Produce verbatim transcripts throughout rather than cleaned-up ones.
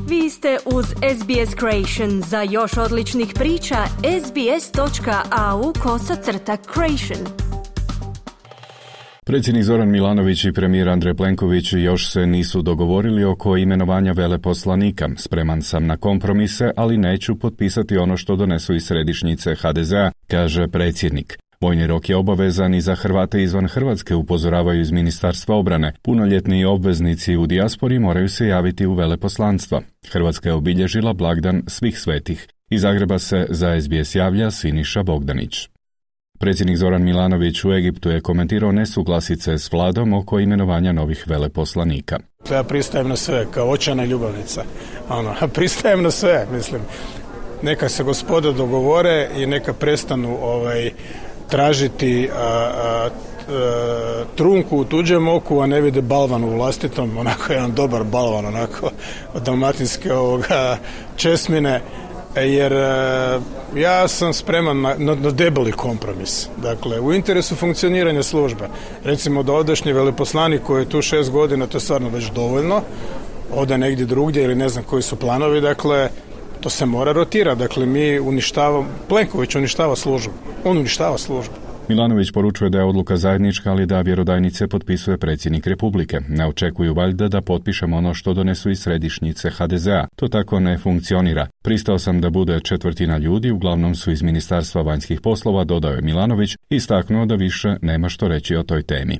Vi ste uz S B S Creation. Za još odličnih priča, sbs.au kosacrta creation. Predsjednik Zoran Milanović i premijer Andrej Plenković još se nisu dogovorili oko imenovanja veleposlanika. Spreman sam na kompromise, ali neću potpisati ono što donesu iz središnjice H D Z A, kaže predsjednik. Vojni rok je obavezan i za Hrvate izvan Hrvatske, upozoravaju iz Ministarstva obrane. Punoljetni obveznici u dijaspori moraju se javiti u veleposlanstva. Hrvatska je obilježila blagdan svih svetih. Iz Zagreba se za S B S javlja Siniša Bogdanić. Predsjednik Zoran Milanović u Egiptu je komentirao nesuglasice s vladom oko imenovanja novih veleposlanika. Ja pristajem na sve, kao očajna ljubavnica. Ono, pristajem na sve, mislim. Neka se gospoda dogovore i neka prestanu ovaj, tražiti a, a, a, trunku u tuđem oku, a ne vide balvan u vlastitom. Onako jedan dobar balvan, onako od dalmatinske ovoga česmine. Jer ja sam spreman na, na, na debeli kompromis. Dakle, u interesu funkcioniranja službe. Recimo da ovdašnji veleposlanik koji je tu šest godina, to je stvarno već dovoljno, ode negdje drugdje ili ne znam koji su planovi, dakle, to se mora rotirati. Dakle, mi uništavamo, Plenković uništava službu. On uništava službu. Milanović poručuje da je odluka zajednička, ali da vjerodajnice potpisuje predsjednik Republike. Ne očekuju valjda da potpišemo ono što donesu iz središnjice H D Z A. To tako ne funkcionira. Pristao sam da bude četvrtina ljudi, uglavnom su iz Ministarstva vanjskih poslova, dodao je Milanović, istaknuo da više nema što reći o toj temi.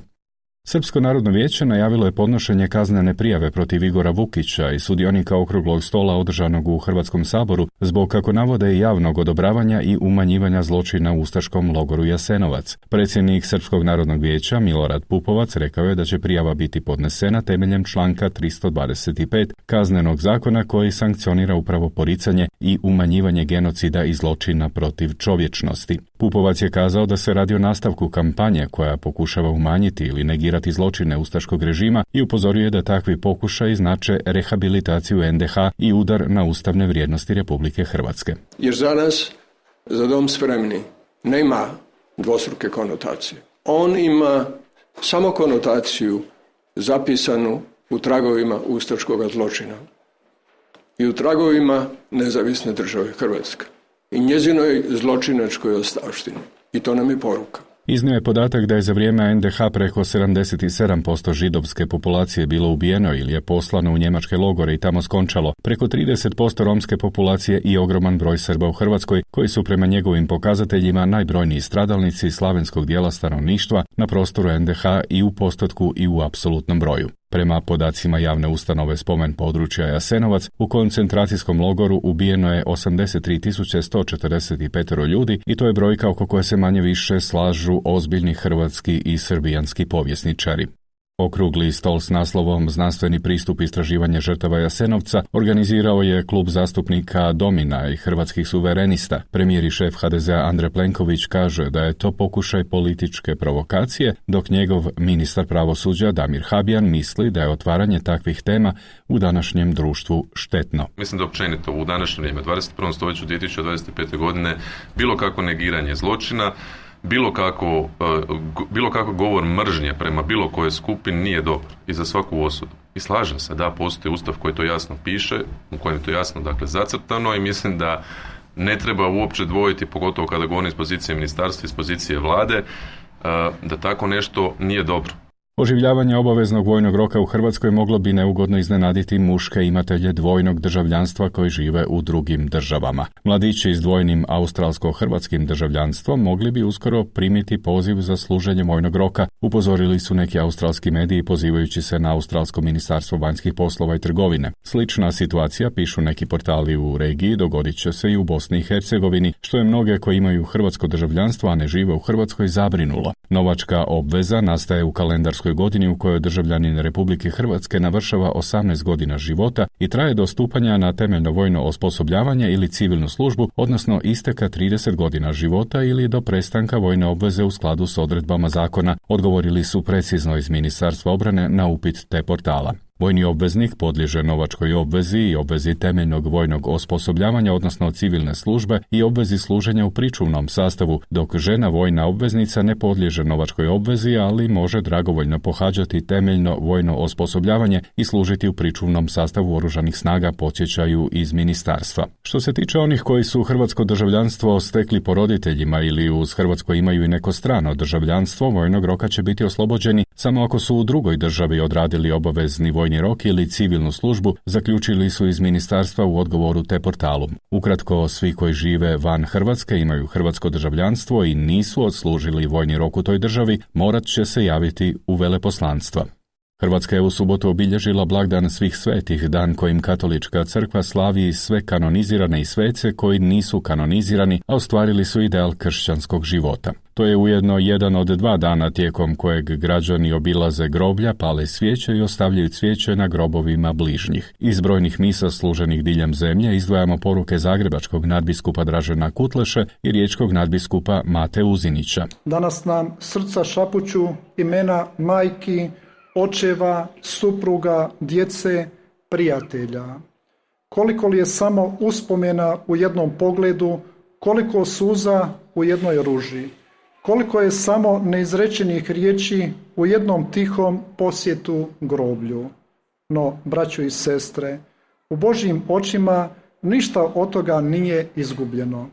Srpsko narodno vijeće najavilo je podnošenje kaznene prijave protiv Igora Vukića i sudionika okruglog stola održanog u Hrvatskom saboru zbog, kako navode, javnog odobravanja i umanjivanja zločina u ustaškom logoru Jasenovac. Predsjednik Srpskog narodnog vijeća Milorad Pupovac rekao je da će prijava biti podnesena temeljem članka tristo dvadeset pet Kaznenog zakona koji sankcionira upravo poricanje i umanjivanje genocida i zločina protiv čovječnosti. Pupovac je kazao da se radi o nastavku kampanje koja pokušava umanjiti ili negirati zločine ustaškog režima i upozorio je da takvi pokušaji znače rehabilitaciju N D H i udar na ustavne vrijednosti Republike Hrvatske. Jer za nas, za Dom spremni, nema dvostruke konotacije. On ima samo konotaciju zapisanu u tragovima ustaškog zločina i u tragovima nezavisne države Hrvatske i njezinoj zločinačkoj ostavštini. I to nam je poruka. Iznio je podatak da je za vrijeme N D H preko sedamdeset sedam posto židovske populacije bilo ubijeno ili je poslano u njemačke logore i tamo skončalo, preko trideset posto romske populacije i ogroman broj Srba u Hrvatskoj, koji su prema njegovim pokazateljima najbrojniji stradalnici slavenskog dijela stanovništva na prostoru N D H i u postotku i u apsolutnom broju. Prema podacima javne ustanove Spomen područja Jasenovac, u koncentracijskom logoru ubijeno je osamdeset tri tisuće sto četrdeset pet ljudi i to je brojka oko koje se manje više slažu ozbiljni hrvatski i srbijanski povjesničari. Okrugli stol s naslovom Znanstveni pristup istraživanja žrtava Jasenovca organizirao je klub zastupnika Domina i Hrvatskih suverenista. Premijer i šef H D Z A Andrej Plenković kaže da je to pokušaj političke provokacije, dok njegov ministar pravosuđa Damir Habijan misli da je otvaranje takvih tema u današnjem društvu štetno. Mislim da općenito u današnje vrijeme, dvadeset prvom stoljeću dvije tisuće dvadeset pete. godine, bilo kako negiranje zločina, Bilo kako, bilo kako govor mržnje prema bilo kojoj skupini nije dobar i za svaku osudu. I slažem se da postoji ustav koji to jasno piše, u kojem je to jasno dakle zacrtano i mislim da ne treba uopće dvojiti, pogotovo kada govorim iz pozicije ministarstva, iz pozicije vlade, da tako nešto nije dobro. Oživljavanje obaveznog vojnog roka u Hrvatskoj moglo bi neugodno iznenaditi muške imatelje dvojnog državljanstva koji žive u drugim državama. Mladići s dvojnim australsko-hrvatskim državljanstvom mogli bi uskoro primiti poziv za služenje vojnog roka, upozorili su neki australski mediji pozivajući se na australsko ministarstvo vanjskih poslova i trgovine. Slična situacija, pišu neki portali u regiji, dogodit će se i u Bosni i Hercegovini, što je mnoge koji imaju hrvatsko državljanstvo, a ne žive u Hrvatskoj, zabrinulo. Novačka obveza nastaje u kalendarskoj godini u kojoj državljanin Republike Hrvatske navršava osamnaest godina života i traje do stupanja na temeljno vojno osposobljavanje ili civilnu službu, odnosno isteka trideset godina života ili do prestanka vojne obveze u skladu s odredbama zakona, odgovorili su precizno iz Ministarstva obrane na upit te portala. Vojni obveznik podliježe novačkoj obvezi i obvezi temeljnog vojnog osposobljavanja, odnosno civilne službe i obvezi služenja u pričuvnom sastavu, dok žena vojna obveznica ne podliježe novačkoj obvezi, ali može dragovoljno pohađati temeljno vojno osposobljavanje i služiti u pričuvnom sastavu oružanih snaga, podsjećaju iz ministarstva. Što se tiče onih koji su hrvatsko državljanstvo stekli po roditeljima ili uz hrvatsko imaju i neko strano državljanstvo, vojnog roka će biti oslobođeni samo ako su u drugoj državi odradili obavezni vojni rok ili civilnu službu, zaključili su iz ministarstva u odgovoru te portalu. Ukratko, svi koji žive van Hrvatske, imaju hrvatsko državljanstvo i nisu odslužili vojni rok u toj državi, morat će se javiti u veleposlanstva. Hrvatska je u subotu obilježila blagdan svih svetih, dan kojim katolička crkva slavi sve kanonizirane i svece koji nisu kanonizirani, a ostvarili su ideal kršćanskog života. To je ujedno jedan od dva dana tijekom kojeg građani obilaze groblja, pale svijeće i ostavljaju cvijeće na grobovima bližnjih. Iz brojnih misa služenih diljem zemlje izdvajamo poruke zagrebačkog nadbiskupa Dražena Kutleše i riječkog nadbiskupa Mate Uzinića. Danas nam srca šapuću imena majki, očeva, supruga, djece, prijatelja. Koliko li je samo uspomena u jednom pogledu, koliko suza u jednoj ruži, koliko je samo neizrečenih riječi u jednom tihom posjetu groblju. No, braćo i sestre, u Božjim očima ništa od toga nije izgubljeno.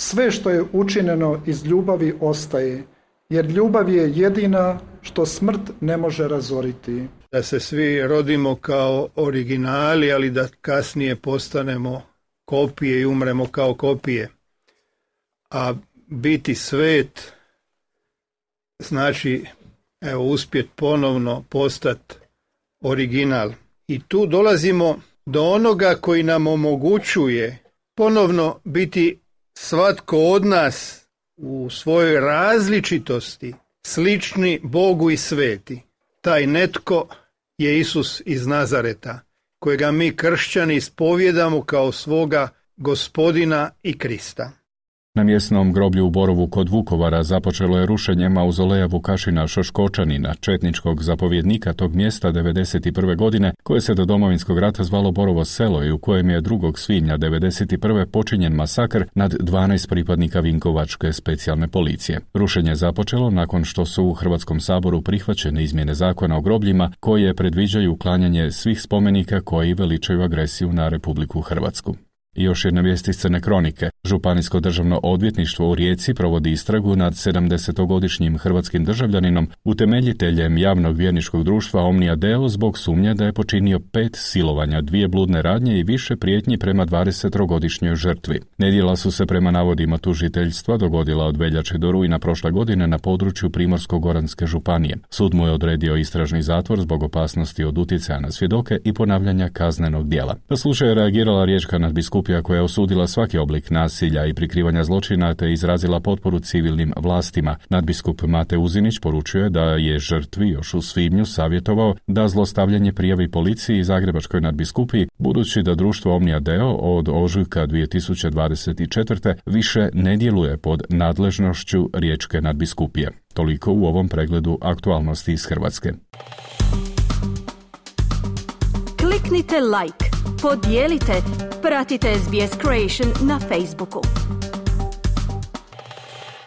Sve što je učinjeno iz ljubavi ostaje, jer ljubav je jedina što smrt ne može razoriti. Da se svi rodimo kao originali, ali da kasnije postanemo kopije i umremo kao kopije. A biti svet znači evo uspjet ponovno postati original. I tu dolazimo do onoga koji nam omogućuje ponovno biti svatko od nas u svojoj različitosti slični Bogu i sveti. Taj netko je Isus iz Nazareta, kojega mi kršćani ispovijedamo kao svoga Gospodina i Krista. Na mjesnom groblju u Borovu kod Vukovara započelo je rušenje mauzoleja Vukašina Šoškočanina, četničkog zapovjednika tog mjesta devedeset prve. godine, koje se do Domovinskog rata zvalo Borovo selo i u kojem je drugog svibnja devedeset prve. počinjen masakr nad dvanaest pripadnika Vinkovačke specijalne policije. Rušenje je započelo nakon što su u Hrvatskom saboru prihvaćene izmjene zakona o grobljima koje predviđaju uklanjanje svih spomenika koji veličaju agresiju na Republiku Hrvatsku. I još jedna vijest iz Crne kronike. Županijsko državno odvjetništvo u Rijeci provodi istragu nad sedamdesetogodišnjim hrvatskim državljaninom, utemeljiteljem javnog vjerničkog društva Omnia Deo zbog sumnje da je počinio pet silovanja, dvije bludne radnje i više prijetnji prema dvadesetogodišnjoj žrtvi. Nedjela su se prema navodima tužiteljstva dogodila od veljače do rujna prošle godine na području Primorsko-goranske županije. Sud mu je odredio istražni zatvor zbog opasnosti od utjecaja na svjedoke i ponavljanja kaznenog djela. Na slučaj je reagirala riječka nadbiskupija koja je osudila svaki oblik nasilja i prikrivanja zločina te izrazila potporu civilnim vlastima. Nadbiskup Mate Uzinić poručuje da je žrtvi još u svibnju savjetovao da zlostavljanje prijavi policiji i Zagrebačkoj nadbiskupiji, budući da društvo Omnia Deo od ožujka dvije tisuće dvadeset četvrte. više ne djeluje pod nadležnošću riječke nadbiskupije. Toliko u ovom pregledu aktualnosti iz Hrvatske. Kliknite like, podijelite, pratite S B S Creation na Facebooku.